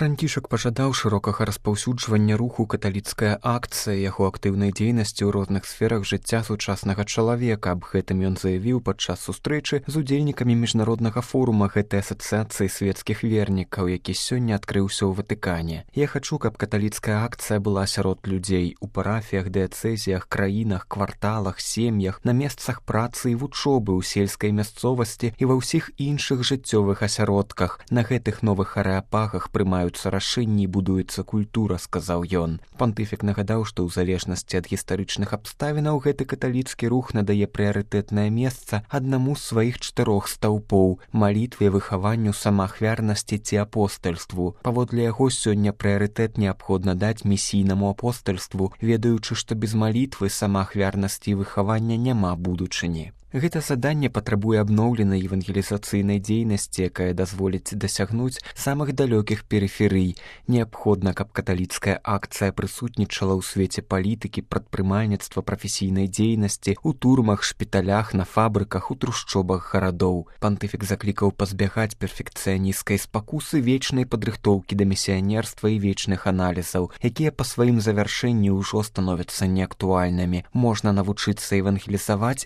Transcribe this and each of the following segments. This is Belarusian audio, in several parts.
Францішак пажадаў шырокага распаўсюджвання руху каталіцкая акцыя яго актыўнай дзейнасці ў розных сферах жыцця сучаснага чалавека. Аб гэтым ён заявіў падчас сустрэчы з удзельнікамі міжнароднага форума гэтай асацыяцыі свецкіх вернікаў, які сёння адкрыўся ў Ватыкане. Я хачу, каб каталіцкая акцыя была сярод людзей у парафіях, дыяцэзіях, краінах, кварталах, сем'ях, на месцах працы і вучобы, ў сельскай мясцовасці і ва ўсіх іншых жыццёвых асяродках. На гэтых новых арэапагах прымаюцца рашэнні і будуецца культура, сказаў ён. Пантыфік нагадаў, што ў залежнасці ад гістарычных абставінаў гэты каталіцкі рух надае прыярытэтнае месца аднаму з сваіх 4 стаўпоў – малітве, выхаванню, самаахвярнасці ці апостальству. Паводле яго сёння прыярытэт неабходна даць місійнаму апостальству, ведаючы, што без малітвы, самаахвярнасці і выхавання няма будучыні. Гэта заданне патрабуе абноўленай евангелізацыйнай дзейнасці, якая дазволіць дасягнуць самых далёкіх перыферый. Неабходна, каб каталіцкая акцыя прысутнічала ў свеце палітыкі, прадпрымальніцтва, прафесійнай дзейнасці, у турмах, шпіталях, на фабрыках, у трушчобах гарадоў. Пантыфік заклікаў пазбягаць перфекцыянісцкай спакусы, вечнай падрыхтоўкі да місіянерства і вечных аналізаў, якія па сваім завяршэнні ўжо становяцца неактуальнымі. Можна навучыцца евангелізаваць,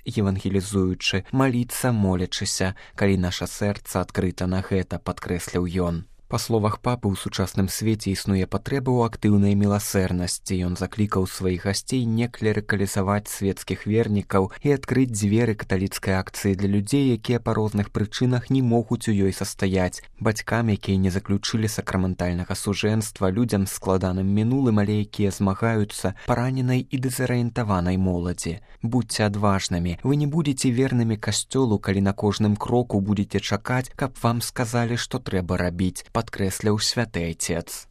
маліцца, молячыся, калі наша сэрца адкрыта на гэта, падкрэсліў ён. Па словах папы, у сучасным свеце існуе патрэба ў актыўнай міласэрнасці. Ён заклікаў сваіх гасцей не клерыкалізаваць свецкіх вернікаў і адкрыць дзверы каталіцкай акцыі для людзей, якія па розных прычынах не могуць у ёй састаяць. Бацькам, якія не заключылі сакраментальнага сужэнства, людзям з складаным мінулым, але якія змагаюцца, параненай і дэзарыентаванай моладзі. Будзьце адважнымі. Вы не будзеце вернымі касцёлу, калі на кожным кроку будзеце чакаць, каб вам сказалі, што трэба рабіць, падкрэсліў святы айцец.